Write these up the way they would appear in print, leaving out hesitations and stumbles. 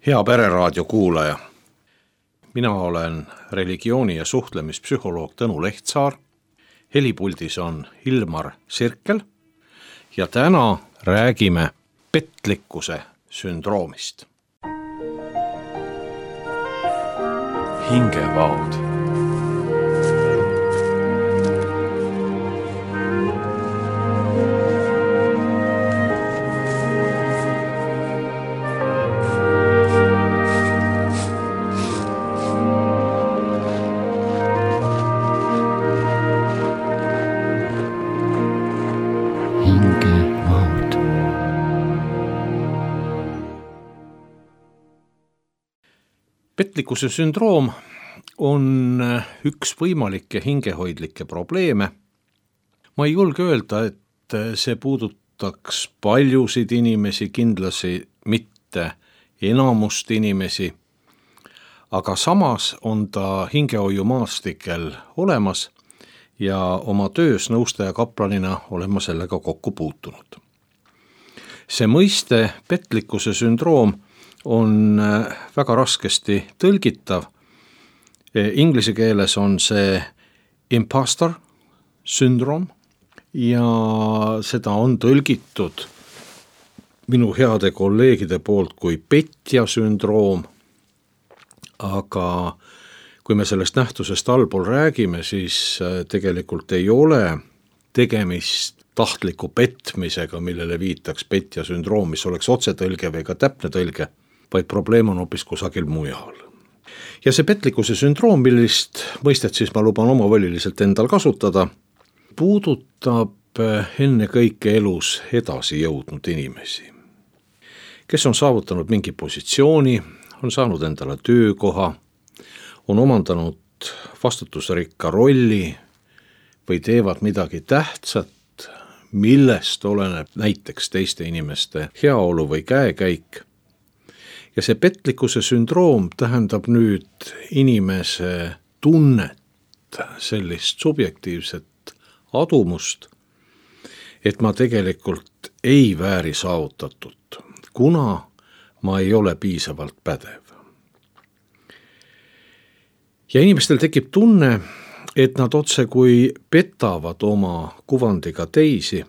Hea Pereraadio kuulaja, mina olen religiooni- ja suhtlemispsühholoog Tõnu Lehtsaar, helipuldis on Ilmar Sirkel ja täna räägime petlikkuse sündroomist. Hingevaod. Petlikkuse sündroom on üks võimalikke hingehoidlikke probleeme. Ma ei julge öelda, et see puudutaks paljusid inimesi, kindlasti mitte enamust inimesi, aga samas on ta hingehoiumaastikel olemas ja oma töös nõustaja kaplanina olen ma sellega kokku puutunud. See mõiste petlikkuse sündroom on väga raskesti tõlgitav. Inglise keeles on see imposter syndrome ja seda on tõlgitud minu heade kolleegide poolt kui petja sündroom. Aga kui me sellest nähtusest allpool räägime, siis tegelikult ei ole tegemist tahtliku petmisega, millele viitaks petja sündroom, mis oleks otsetõlge või ka täpne tõlge, vaid probleem on hoopis kusagil mujal. Ja see petlikkuse sündroom, millist mõistet siis ma luban omavoliliselt endal kasutada, puudutab enne kõike elus edasi jõudnud inimesi, kes on saavutanud mingi positsiooni, on saanud endale töökoha, on omandanud vastutusrikka rolli või teevad midagi tähtsat, millest oleneb näiteks teiste inimeste heaolu või käekäik. Ja see petlikkuse sündroom tähendab nüüd inimese tunnet, sellist subjektiivset adumust, et ma tegelikult ei vääri saavutatut, kuna ma ei ole piisavalt pädev. Ja inimestel tekib tunne, et nad otse kui petavad oma kuvandiga teisi,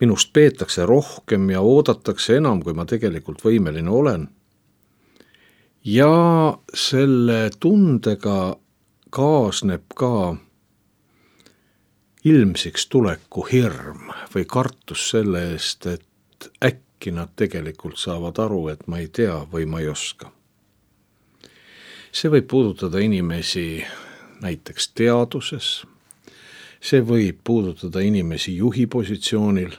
minust peetakse rohkem ja oodatakse enam, kui ma tegelikult võimeline olen. Ja selle tundega kaasneb ka ilmsiks tuleku hirm või kartus selle eest, et äkki nad tegelikult saavad aru, et ma ei tea või ma ei oska. See võib puudutada inimesi näiteks teaduses, see võib puudutada inimesi juhi positsioonil,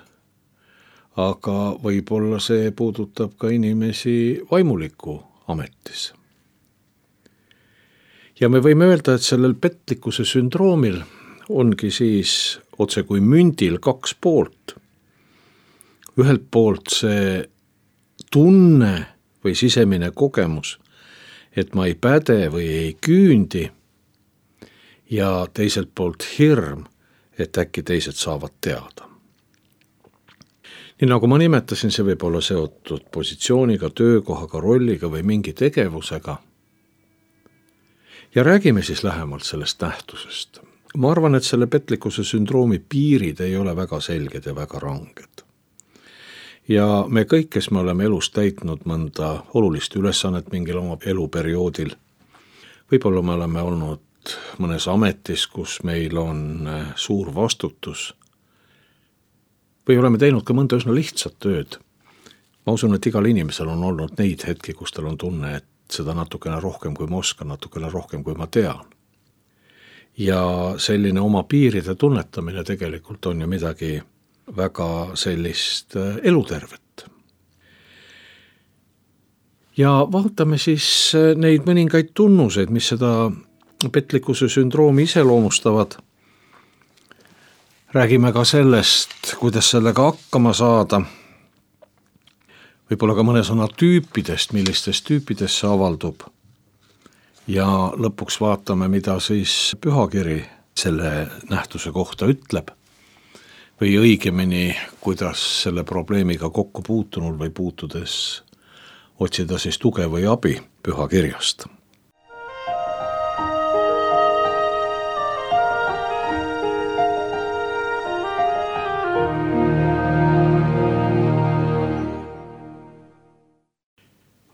aga võib-olla see puudutab ka inimesi vaimuliku ametis. Ja me võime öelda, et sellel petlikkuse sündroomil ongi siis otse kui mündil kaks poolt. Ühelt poolt see tunne või sisemine kogemus, et ma ei päde või ei küündi, ja teiselt poolt hirm, et äkki teised saavad teada. Nii nagu ma nimetasin, see võib olla seotud positsiooniga, töökohaga, rolliga või mingi tegevusega. Ja räägime siis lähemalt sellest nähtusest. Ma arvan, et selle petlikkuse sündroomi piirid ei ole väga selged ja väga ranged. Ja me kõik, kes me oleme elus täitnud mõnda olulist ülesannet mingil oma eluperioodil, võib-olla me oleme olnud mõnes ametis, kus meil on suur vastutus, või oleme teinud ka mõnda üsna lihtsat tööd. Ma usun, et igal inimesel on olnud neid hetki, kus tal on tunne, et seda natukene rohkem, kui ma oskan, natukene rohkem, kui ma tean. Ja selline oma piiride tunnetamine tegelikult on ju midagi väga sellist elutervet. Ja vaatame siis neid mõningaid tunnuseid, mis seda petlikkuse sündroomi iseloomustavad. Räägime ka sellest, kuidas sellega hakkama saada. Võib-olla ka mõne sõna tüüpidest, millistest tüüpidest see avaldub. Ja lõpuks vaatame, mida siis pühakiri selle nähtuse kohta ütleb. Või õigemini, kuidas selle probleemiga kokku puutunul või puutudes otsida siis tuge või abi pühakirjast.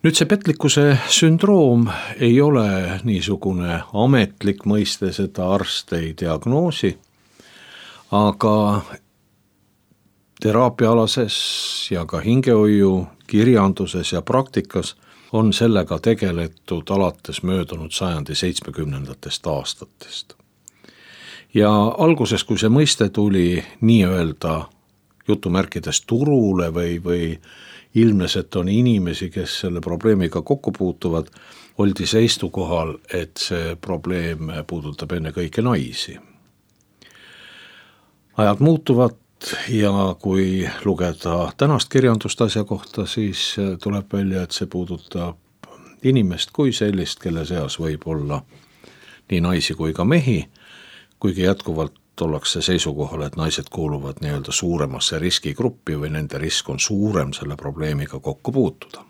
Nüüd see petlikkuse sündroom ei ole niisugune ametlik mõiste, seda arst ei diagnoosi, aga teraapiaalases ja ka hingehoiu kirjanduses ja praktikas on sellega tegeletud alates möödunud sajandi 70. aastatest. Ja alguses, kui see mõiste tuli nii-öelda jutumärkides turule või ilmnes, et on inimesi, kes selle probleemiga kokku puutuvad, oldi seisukohal, et see probleem puudutab ennekõike naisi. Ajad muutuvad ja kui lugeda tänast kirjandust asja kohta, siis tuleb välja, et see puudutab inimest kui sellist, kelle seas võib olla nii naisi kui ka mehi, kuigi jätkuvalt ollakse seisukohal, et naised kuuluvad nii-öelda suuremasse riskigruppi või nende risk on suurem selle probleemiga kokku puutuda.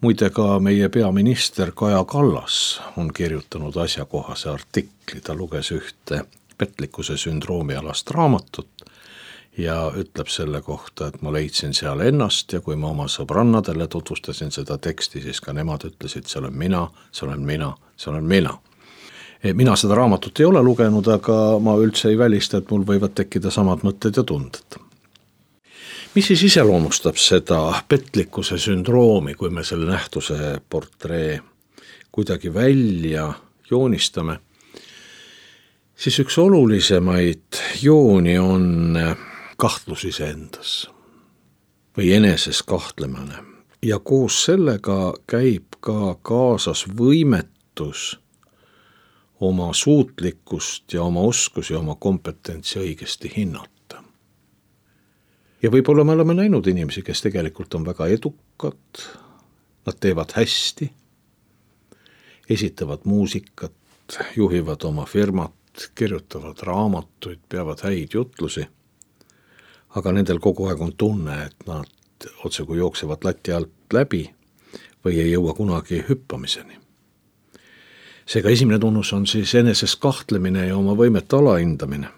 Muide ka meie peaminister Kaja Kallas on kirjutanud asjakohase artikli, ta luges ühte petlikkuse sündroomi alast raamatut ja ütleb selle kohta, et ma leidsin seal ennast ja kui ma oma sõbrannadele tutvustasin seda teksti, siis ka nemad ütlesid, see olen mina, see olen mina, see olen mina. Mina seda raamatut ei ole lugenud, aga ma üldse ei välista, et mul võivad tekkida samad mõtted ja tunded. Mis siis iseloomustab seda petlikkuse sündroomi, kui me selle nähtuse portree kuidagi välja joonistame? Siis üks olulisemaid jooni on kahtlus iseendas või eneses kahtlemine. Ja koos sellega käib ka kaasas võimetus oma suutlikkust ja oma oskusi, oma kompetentsi õigesti hinnata. Ja võib-olla me oleme näinud inimesi, kes tegelikult on väga edukad, nad teevad hästi, esitavad muusikat, juhivad oma firmat, kirjutavad raamatuid, peavad häid jutlusi, aga nendel kogu aeg on tunne, et nad otse kui jooksevad lati alt läbi või ei jõua kunagi hüppamiseni. Seega esimene tunnus on siis eneses kahtlemine ja oma võimete alahindamine.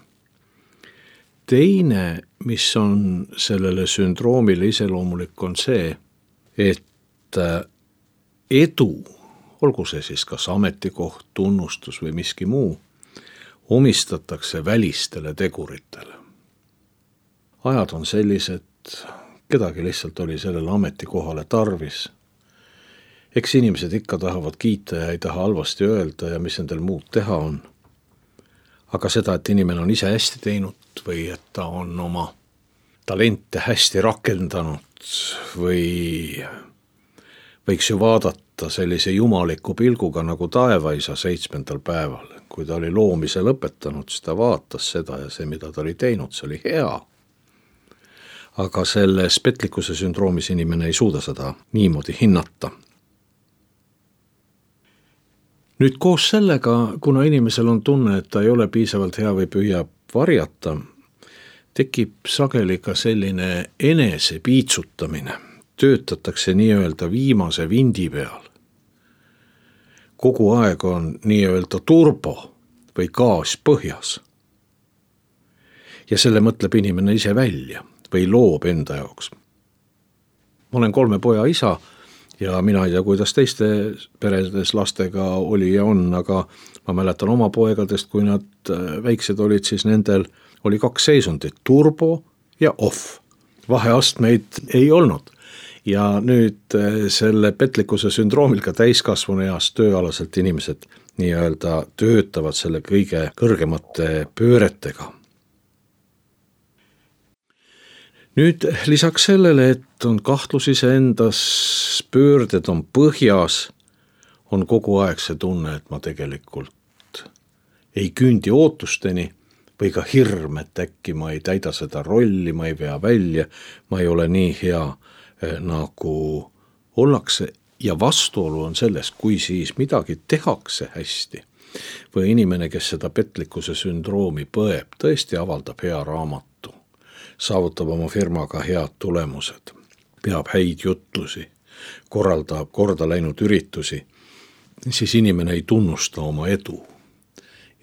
Teine, mis on sellele sündroomile iseloomulik, on see, et edu, olgu see siis kas ametikoht, tunnustus või miski muu, omistatakse välistele teguritele. Ajad on sellised, kedagi lihtsalt oli sellele ametikohale tarvis. Eks inimesed ikka tahavad kiita ja ei taha halvasti öelda ja mis nendel muud teha on. Aga seda, et inimene on ise hästi teinud või et ta on oma talente hästi rakendanud või võiks ju vaadata sellise jumaliku pilguga nagu taevaisa 7. päeval. Kui ta oli loomise lõpetanud, siis ta vaatas seda ja see, mida ta oli teinud, see oli hea. Aga selles petlikkuse sündroomis inimene ei suuda seda niimoodi hinnata. Nüüd koos sellega, kuna inimesel on tunne, et ta ei ole piisavalt hea või püüab varjata, tekib sageli ka selline enese piitsutamine. Töötatakse nii-öelda viimase vindi peal. Kogu aeg on nii-öelda turbo või gaas põhjas. Ja selle mõtleb inimene ise välja või loob enda jaoks. Ma olen 3 poja isa ja mina ei tea, kuidas teiste peredes lastega oli ja on, aga ma mäletan oma poegadest, kui nad väiksed olid, siis nendel oli 2 seisundit, turbo ja off. Vaheastmeid ei olnud. Ja nüüd selle petlikkuse sündroomil ka täiskasvanu eas tööalaselt inimesed nii-öelda töötavad selle kõige kõrgemate pööretega. Nüüd lisaks sellele, et on kahtlus iseendas, pöörded on põhjas, on kogu aeg see tunne, et ma tegelikult ei küündi ootusteni või ka hirm, et äkki ma ei täida seda rolli, ma ei vea välja, ma ei ole nii hea nagu ollakse ja vastuolu on selles, kui siis midagi tehakse hästi või inimene, kes seda petlikkuse sündroomi põeb, tõesti avaldab hea raamatu, saavutab oma firmaga head tulemused, peab häid jutlusi, korraldab korda läinud üritusi, siis inimene ei tunnusta oma edu.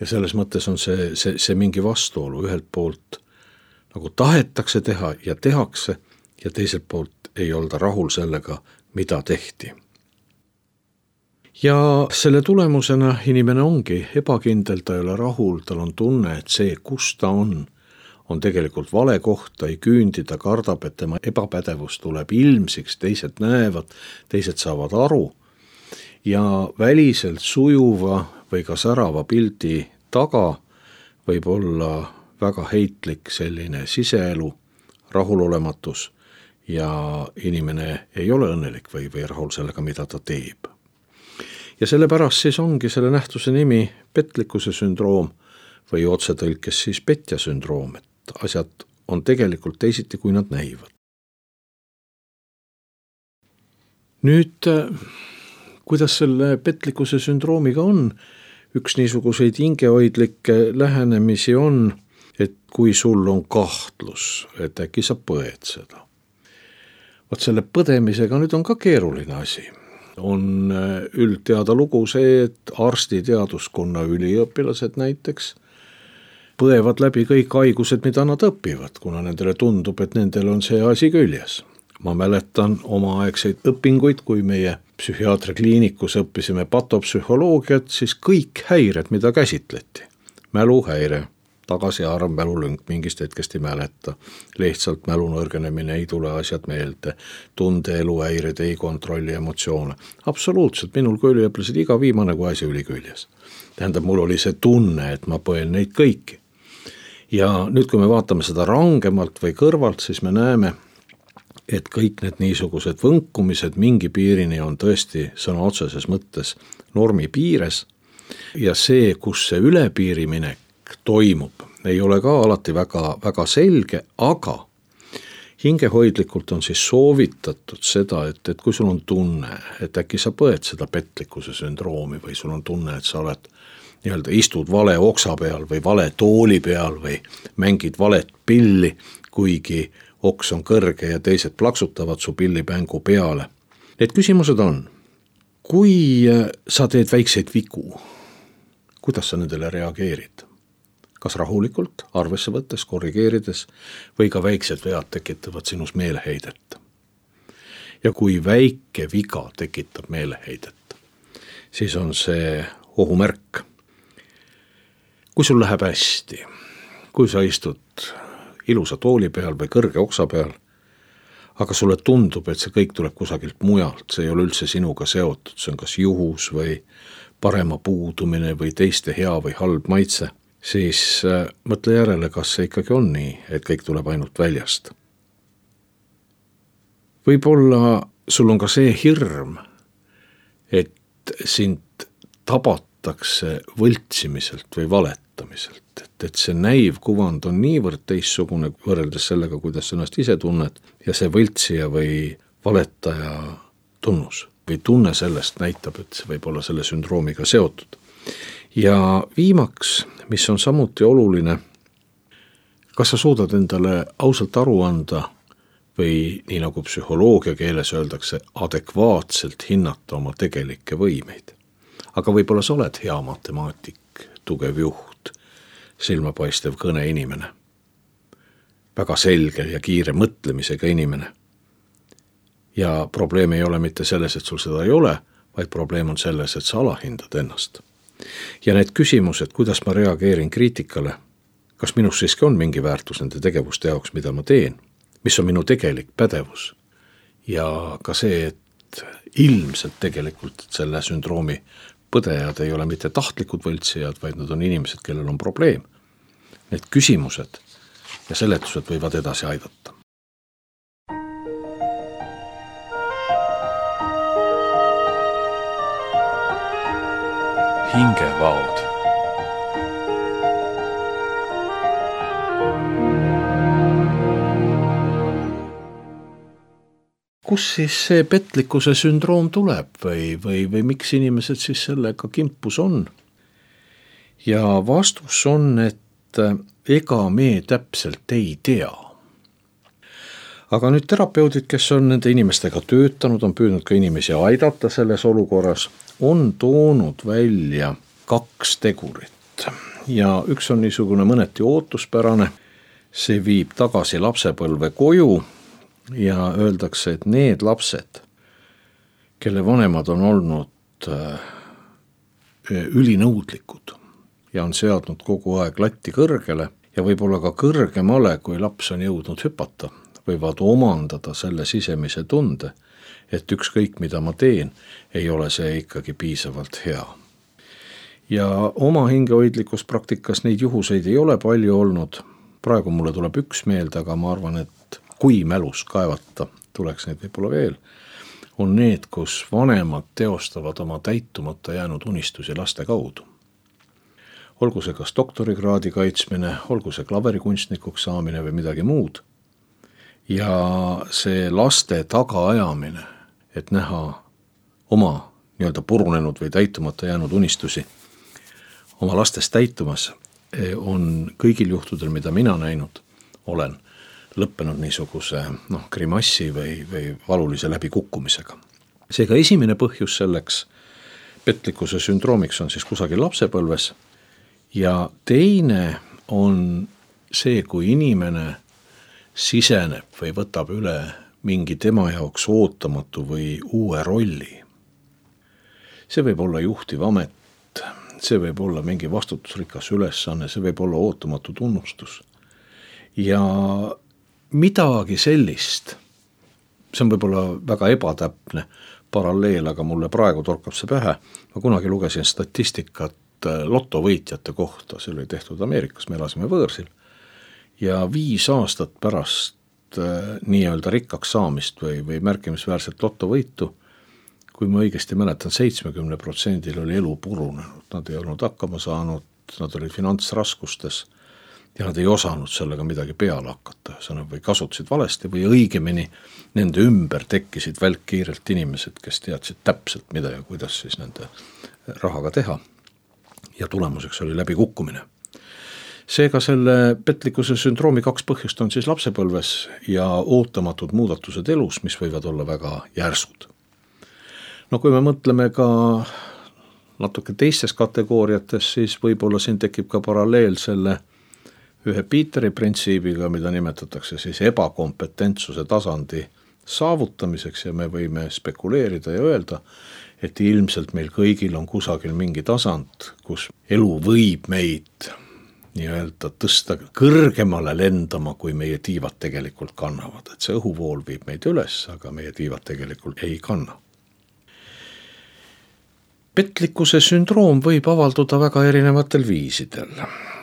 Ja selles mõttes on see mingi vastuolu. Ühelt poolt nagu tahetakse teha ja tehakse ja teiselt poolt ei olda rahul sellega, mida tehti. Ja selle tulemusena inimene ongi ebakindel, ta ei ole rahul, tal on tunne, et see, kus ta on tegelikult vale koht, ta ei küündi, ta kardab, et tema ebapädevus tuleb ilmsiks, teised näevad, teised saavad aru ja väliselt sujuva või ka särava pildi taga võib olla väga heitlik selline siseelu, rahulolematus ja inimene ei ole õnnelik või rahul sellega, mida ta teeb. Ja sellepärast siis ongi selle nähtuse nimi petlikkuse sündroom või otsetõlkes siis petja sündroom, et asjad on tegelikult teisiti, kui nad näivad. Nüüd, kuidas selle petlikkuse sündroomiga on? Üks niisuguseid hingehoidlikke lähenemisi on, et kui sul on kahtlus, et äkki sa põed seda. Vaat selle põdemisega nüüd on ka keeruline asi. On üldteada lugu see, et arstiteaduskonna üliõpilased näiteks põevad läbi kõik haigused, mida nad õpivad, kuna nendele tundub, et nendel on see asi küljes. Ma mäletan omaaegseid õpinguid, kui meie psühhiaatrikliinikus õppisime patopsühholoogiat, siis kõik häired, mida käsitleti. Mäluhäire, tagasiarv, mälulünk, mingist hetkest ei mäleta, lihtsalt mälu nõrgenemine, ei tule asjad meelde, tundeeluhäired, ei kontrolli emotsioone. Absoluutselt, minul kui üliõpilased iga viimane kui asi oli küljes. Tähendab, mul oli see tunne, et ma põen neid kõiki. Ja nüüd, kui me vaatame seda rangemalt või kõrvalt, siis me näeme, et kõik need niisugused võnkumised mingi piirini on tõesti sõna otseses mõttes normi piires ja see, kus see ülepiiriminek toimub, ei ole ka alati väga selge, aga hingehoidlikult on siis soovitatud seda, et kui sul on tunne, et äkki sa põed seda petlikkuse sündroomi või sul on tunne, et sa oled istud vale oksa peal või vale tooli peal või mängid valet pilli, kuigi oks on kõrge ja teised plaksutavad su pillipängu peale. Need küsimused on, kui sa teed väikseid vigu, kuidas sa nendele reageerid? Kas rahulikult, arvesse võttes, korrigeerides või ka väiksed vead tekitavad sinus meeleheidet? Ja kui väike viga tekitab meeleheidet, siis on see ohumärk. Kui sul läheb hästi, kui sa istud ilusa tooli peal või kõrge oksa peal, aga sulle tundub, et see kõik tuleb kusagilt mujalt, see ei ole üldse sinuga seotud, see on kas juhus või parema puudumine või teiste hea või halb maitse, siis mõtle järele, kas see ikkagi on nii, et kõik tuleb ainult väljast. Võib-olla sul on ka see hirm, et sind tabatakse võltsimiselt või valetamiselt, et see näiv kuvand on niivõrd teissugune võrreldes sellega, kuidas sa ennast ise tunned ja see võltsija või valetaja tunnus või tunne sellest näitab, et see võib olla selle sündroomiga seotud. Ja viimaks, mis on samuti oluline, kas sa suudad endale ausalt aru anda või nii nagu psühholoogia keeles öeldakse, adekvaatselt hinnata oma tegelikke võimeid. Aga võib-olla sa oled hea matemaatik, tugev juht, silmapaistev kõne inimene, väga selge ja kiire mõtlemisega inimene. Ja probleem ei ole mitte selles, et sul seda ei ole, vaid probleem on selles, et sa alahindad ennast. Ja need küsimused, kuidas ma reageerin kriitikale, kas minus siiski on mingi väärtus nende tegevuste jaoks, mida ma teen, mis on minu tegelik pädevus ja ka see, et ilmselt tegelikult selle sündroomi põdejad ei ole mitte tahtlikud võltsijad, vaid nad on inimesed, kellel on probleem. Need küsimused ja seletused võivad edasi aidata. Hingevaod. Kus siis see petlikkuse sündroom tuleb või miks inimesed siis sellega kimpus on? Ja vastus on, et ega me täpselt ei tea. aga nüüd terapeudid, kes on nende inimestega töötanud, on püüdnud ka inimesi aidata selles olukorras, on toonud välja 2 tegurit ja üks on niisugune mõneti ootuspärane, see viib tagasi lapsepõlve koju ja öeldakse, et need lapsed, kelle vanemad on olnud ülinõudlikud ja on seadnud kogu aeg latti kõrgele ja võib-olla ka kõrgemale, kui laps on jõudnud hüpata, võivad omandada selle sisemise tunde, et ükskõik mida ma teen, ei ole see ikkagi piisavalt hea. Ja oma hingehoidlikus praktikas neid juhuseid ei ole palju olnud, praegu mulle tuleb üks meelde, aga ma arvan, et kui mälus kaevata, tuleks neid võib-olla veel, on need, kus vanemad teostavad oma täitumata jäänud unistusi laste kaudu. Olgu see kas doktorikraadi kaitsmine, olgu see klaverikunstnikuks saamine või midagi muud. Ja see laste tagaajamine, et näha oma nii-öelda purunenud või täitumata jäänud unistusi oma lastest täitumas, on kõigil juhtudel, mida mina näinud olen, lõppenud niisuguse grimassi või valulise läbikukkumisega. Seega esimene põhjus selleks petlikkuse sündroomiks on siis kusagil lapsepõlves ja teine on see, kui inimene siseneb või võtab üle mingi tema jaoks ootamatu või uue rolli. See võib olla juhtiv amet, see võib olla mingi vastutusrikas ülesanne, see võib olla ootamatu tunnustus. Ja midagi sellist, see on võib-olla väga ebatäpne paralleel, aga mulle praegu torkab see pähe. Ma kunagi lugesin statistikat lotovõitjate kohta, see oli tehtud Ameerikas, me elasime võõrsil. Ja 5 aastat pärast nii-öelda rikkaks saamist või märkimisväärselt lotovõitu, kui ma õigesti mäletan, 70% oli elu purunenud, nad ei olnud hakkama saanud, nad olid finantsraskustes ja nad ei osanud sellega midagi peale hakata, või kasutasid valesti või õigemini nende ümber tekkisid välkkiirelt inimesed, kes teadsid täpselt mida ja kuidas siis nende rahaga teha ja tulemuseks oli läbikukkumine. Seega selle petlikkuse sündroomi 2 põhjust on siis lapsepõlves ja ootamatud muudatused elus, mis võivad olla väga järsud. No kui me mõtleme ka natuke teistes kategooriates, siis võib-olla siin tekib ka paralleel selle ühe Peteri printsiibiga, mida nimetatakse siis ebakompetentsuse tasandi saavutamiseks ja me võime spekuleerida ja öelda, et ilmselt meil kõigil on kusagil mingi tasand, kus elu võib meid nii-öelda tõsta kõrgemale lendama, kui meie tiivad tegelikult kannavad. Et see õhuvool viib meid üles, aga meie tiivad tegelikult ei kanna. Petlikkuse sündroom võib avalduda väga erinevatel viisidel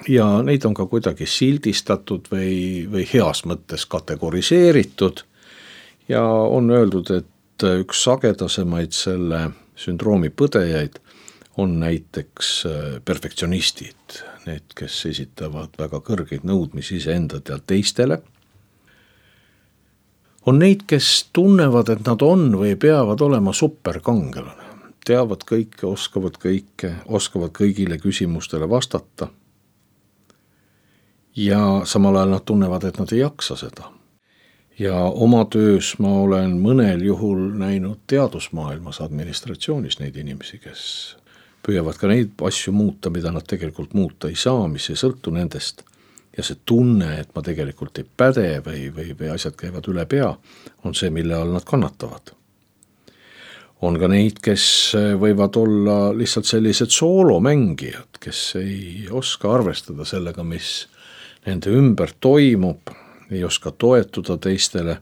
ja neid on ka kuidagi sildistatud või heas mõttes kategoriseeritud ja on öeldud, et üks sagedasemaid selle sündroomi põdejaid on näiteks perfektsionistid, need, kes esitavad väga kõrgeid nõudmisi iseendad ja teistele. On neid, kes tunnevad, et nad on või peavad olema superkangelane. Teavad kõike, oskavad kõigile küsimustele vastata ja samal ajal nad tunnevad, et nad ei jaksa seda. Ja oma töös ma olen mõnel juhul näinud teadusmaailmas administratsioonis neid inimesi, kes püüavad ka neid asju muuta, mida nad tegelikult muuta ei saa, mis ei sõltu nendest. Ja see tunne, et ma tegelikult ei päde või asjad käivad üle pea, on see, mille all nad kannatavad. On ka neid, kes võivad olla lihtsalt sellised soolomängijad, kes ei oska arvestada sellega, mis nende ümber toimub, ei oska toetuda teistele.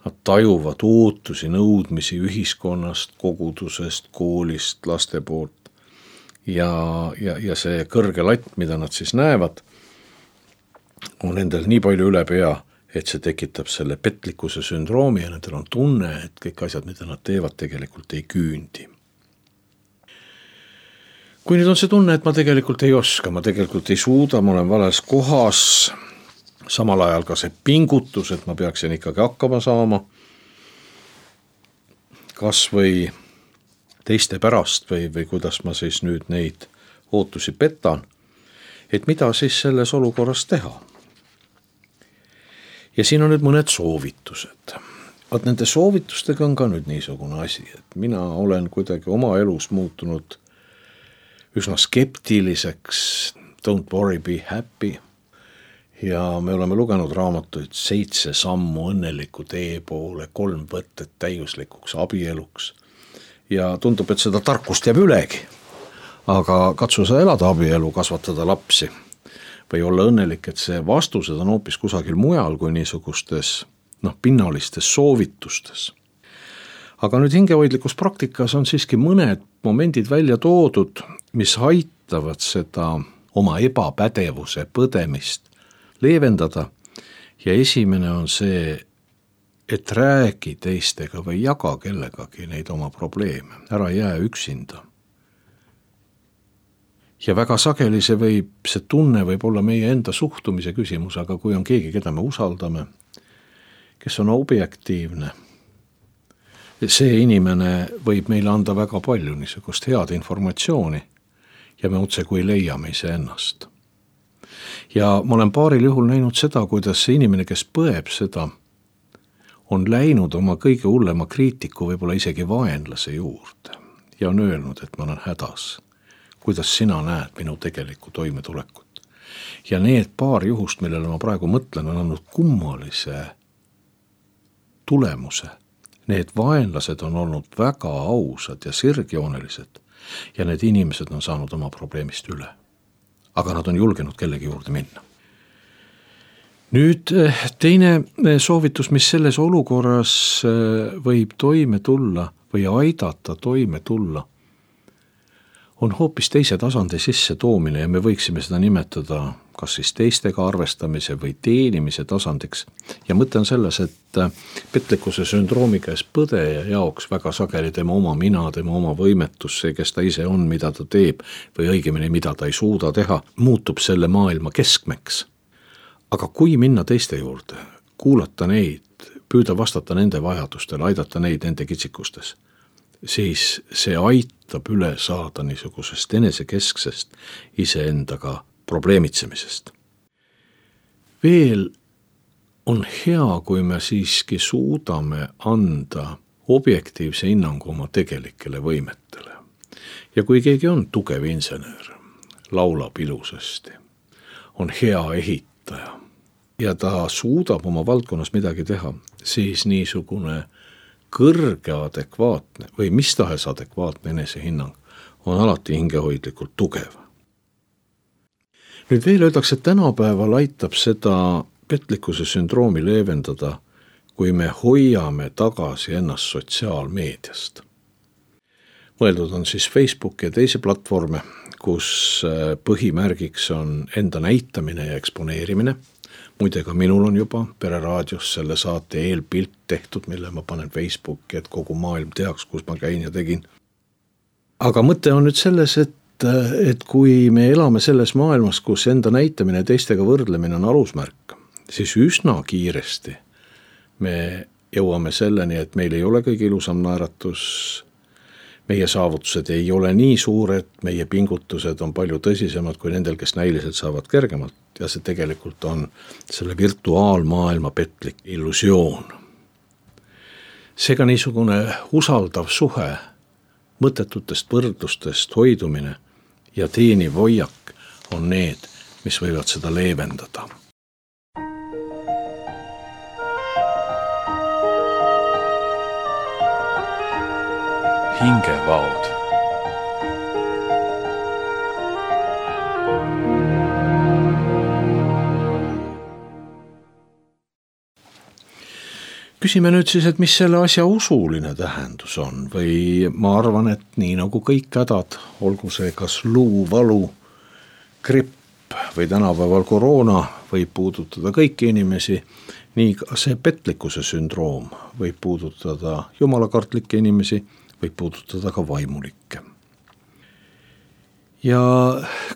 Nad tajuvad ootusi, nõudmisi ühiskonnast, kogudusest, koolist, laste poolt. Ja see kõrge latt, mida nad siis näevad, on nendel nii palju üle pea, et see tekitab selle petlikkuse sündroomi ja nendel on tunne, et kõik asjad, mida nad teevad, tegelikult ei küündi. Kui nüüd on see tunne, et ma tegelikult ei oska, ma tegelikult ei suuda, ma olen vales kohas, samal ajal ka see pingutus, et ma peaksin ikkagi hakkama saama, kas või teiste pärast või kuidas ma siis nüüd neid ootusi petan, et mida siis selles olukorras teha. Ja siin on nüüd mõned soovitused. Vaat nende soovitustega on ka nüüd niisugune asi, et mina olen kuidagi oma elus muutunud üsna skeptiliseks, don't worry, be happy. Ja me oleme lugenud raamatuid 7 sammu õnneliku tee poole, 3 võtted täiuslikuks abieluks. Ja tundub, et seda tarkust jääb ülegi. Aga katsu sa elada abielu, kasvatada lapsi või olla õnnelik, et see vastused on hoopis kusagil mujal kui niisugustes pinnalistes soovitustes. Aga nüüd hingehoidlikus praktikas on siiski mõned momendid välja toodud, mis aitavad seda oma ebapädevuse põdemist leevendada. Ja esimene on see, et räägi teistega või jaga kellegagi neid oma probleeme. Ära jää üksinda. Ja väga sageli see tunne võib olla meie enda suhtumise küsimus, aga kui on keegi, keda me usaldame, kes on objektiivne, see inimene võib meile anda väga palju niisugust head informatsiooni ja me otse kui leiame iseennast. Ja ma olen paaril juhul näinud seda, kuidas see inimene, kes põeb seda, on läinud oma kõige hullema kriitiku, võib-olla isegi vaenlase juurde ja on öelnud, et ma olen hädas. Kuidas sina näed minu tegelikku toimetulekut? Ja need paar juhust, millele ma praegu mõtlen, on andnud kummalise tulemuse. Need vaenlased on olnud väga ausad ja sirgjoonelised ja need inimesed on saanud oma probleemist üle. Aga nad on julgenud kellegi juurde minna. Nüüd teine soovitus, mis selles olukorras võib toime tulla või aidata toime tulla, on hoopis teise tasandi sisse toomine ja me võiksime seda nimetada kas siis teistega arvestamise või teenimise tasandiks. Ja mõte on selles, et petlikkuse sündroomi käes põdeja jaoks väga sageli tema oma mina, tema oma võimetus, see, kes ta ise on, mida ta teeb või õigemini, mida ta ei suuda teha, muutub selle maailma keskmeks. Aga kui minna teiste juurde, kuulata neid, püüda vastata nende vajadustele, aidata neid nende kitsikustes, siis see aitab üle saada niisugusest enesekesksest iseendaga probleemitsemisest. Veel on hea, kui me siiski suudame anda objektiivse hinnangu oma tegelikele võimetele. Ja kui keegi on tugev insener, laulab ilusasti, on hea ehitaja ja ta suudab oma valdkonnas midagi teha, siis niisugune kõrge adekvaatne või mis tahes adekvaatne enesehinnang on alati hingehoidlikult tugev. Nüüd veel öeldakse, et tänapäeval aitab seda petlikkuse sündroomi leevendada, kui me hoiame tagasi ennast sotsiaalmeediast. Mõeldud on siis Facebook ja teisi platvorme, kus põhimärgiks on enda näitamine ja eksponeerimine. Muide, ka minul on juba Pereraadios selle saate eelpilt tehtud, mille ma panen Facebooki, et kogu maailm teaks, kus ma käin ja tegin. Aga mõte on nüüd selles, et kui me elame selles maailmas, kus enda näitamine teistega võrdlemine on alusmärk, siis üsna kiiresti me jõuame selleni, et meil ei ole kõige ilusam naeratus, meie saavutused ei ole nii suured, meie pingutused on palju tõsisemad kui nendel, kes näiliselt saavad kergemalt ja see tegelikult on selle virtuaalmaailma petlik illusioon. Seega niisugune usaldav suhe, mõttetutest võrdlustest hoidumine ja teeniv hoiak on need, mis võivad seda leevendada. Hingevaod. Küsime nüüd siis, et mis selle asja usuline tähendus on või ma arvan, et nii nagu kõik hädad, olgu see kas luuvalu, gripp või tänapäeval koroona võib puudutada kõiki inimesi, nii ka see petlikkuse sündroom võib puudutada jumalakartlikke inimesi, võib puudutada ka vaimulikke. Ja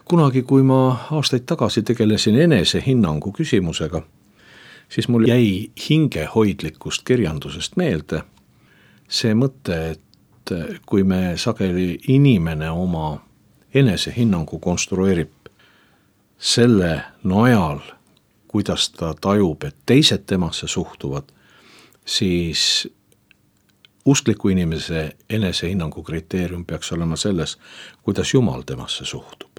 kunagi, kui ma aastaid tagasi tegelesin enesehinnangu küsimusega, siis mul jäi hingehoidlikust kirjandusest meelde see mõte, et kui me sageli inimene oma enesehinnangu konstrueerib selle najal, kuidas ta tajub, et teised temasse suhtuvad, siis uskliku inimese enesehinnangu kriteerium peaks olema selles, kuidas Jumal temasse suhtub.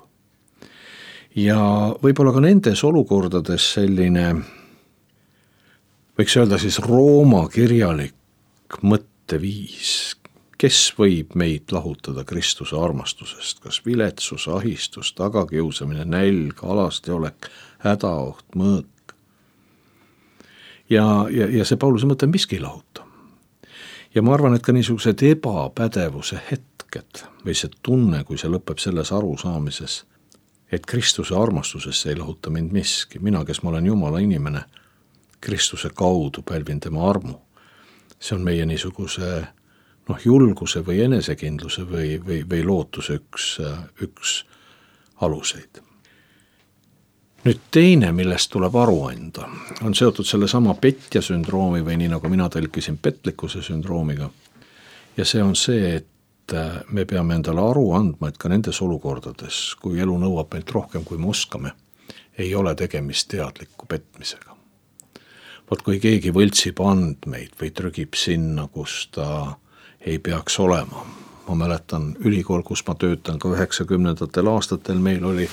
Ja võib-olla ka nendes olukordades selline, võiks öelda siis Rooma kirjalik mõtteviis, kes võib meid lahutada Kristuse armastusest, kas viletsus, ahistus, tagakiusamine, nälg, alastiolek, hädaoht, mõõk. Ja see Pauluse mõte miski lahuta. Ja ma arvan, et ka niisugused ebapädevuse hetked või see tunne, kui see lõpeb selles arusaamises, et Kristuse armastusesse ei lahuta mind miski. Mina, kes ma olen Jumala inimene, Kristuse kaudu pälvin tema armu. See on meie niisuguse julguse või enesekindluse või lootuse üks aluseid. Nüüd teine, millest tuleb aru anda, on seotud selle sama petja sündroomi või nii nagu mina tõlkisin petlikkuse sündroomiga. Ja see on see, et me peame endale aru andma, et ka nendes olukordades, kui elu nõuab meilt rohkem, kui me oskame, ei ole tegemist teadliku petmisega. Vot kui keegi võltsib andmeid või trügib sinna, kus ta ei peaks olema. Ma mäletan ülikool, kus ma töötan ka 90. aastatel, meil oli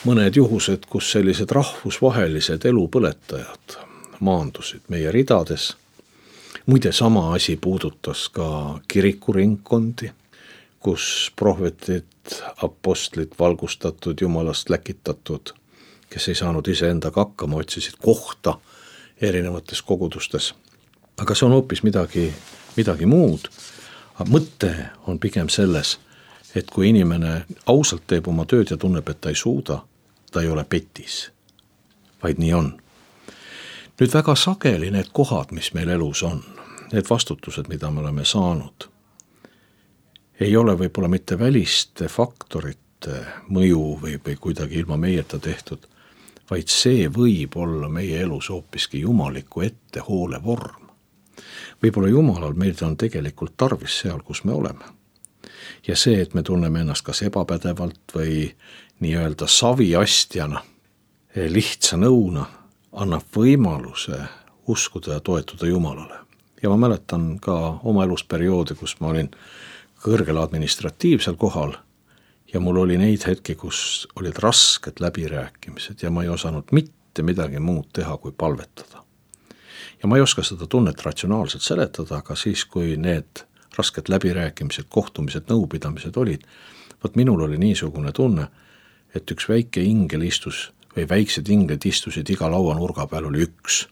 mõned juhused, kus sellised rahvusvahelised elupõletajad maandusid meie ridades. Muide, sama asi puudutas ka kirikuringkondi, kus prohvetid, apostlid, valgustatud, Jumalast läkitatud, kes ei saanud iseendaga hakkama, otsisid kohta erinevates kogudustes. Aga see on hoopis midagi muud. Mõte on pigem selles, et kui inimene ausalt teeb oma tööd ja tunneb, et ta ei suuda, ta ei ole petis, vaid nii on. Nüüd väga sageli need kohad, mis meil elus on, need vastutused, mida me oleme saanud, ei ole võib-olla mitte väliste faktorite mõju või kuidagi ilma meieta tehtud, vaid see võib olla meie elus hoopiski jumaliku ettehoole vorm. Võib-olla Jumalal meil on tegelikult tarvis seal, kus me oleme. Ja see, et me tunneme ennast kas ebapädevalt või nii-öelda saviastjana, lihtsa nõuna, annab võimaluse uskuda ja toetuda Jumalale. Ja ma mäletan ka oma elusperioodi, kus ma olin kõrgel administratiivsel kohal ja mul oli neid hetki, kus olid rasked läbirääkimised ja ma ei osanud mitte midagi muud teha, kui palvetada. Ja ma ei oska seda tunnet ratsionaalselt seletada, aga siis, kui need rasked läbirääkimised, kohtumised, nõupidamised olid, vot minul oli niisugune tunne, et üks väike ingel istus või väiksed inglid istusid iga lauanurga peal, oli üks.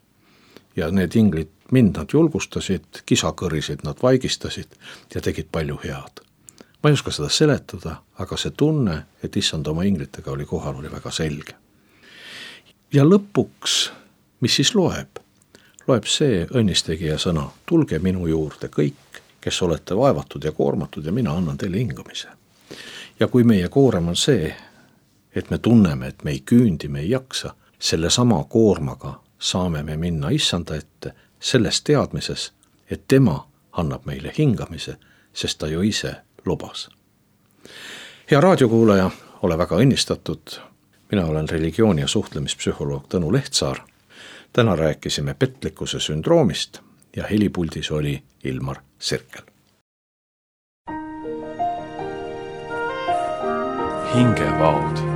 Ja need inglid mind nad julgustasid, kisakõrisid nad vaigistasid ja tegid palju head. Ma ei oska seda seletada, aga see tunne, et issand oma inglitega oli kohal, oli väga selge. Ja lõpuks, mis siis loeb? Loeb see õnnistegija sõna, tulge minu juurde kõik, kes olete vaevatud ja koormatud ja mina annan teile hingamise. Ja kui meie koorem on see, et me tunneme, et me ei küündi, me ei jaksa, selle sama koormaga saame me minna issanda ette selles teadmises, et tema annab meile hingamise, sest ta ju ise lubas. Hea raadiokuulaja, ole väga õnnistatud. Mina olen religiooni- ja suhtlemispsühholoog Tõnu Lehtsaar. Täna rääkisime petlikkuse sündroomist ja helipuldis oli Ilmar Sirkel. Hingevaod.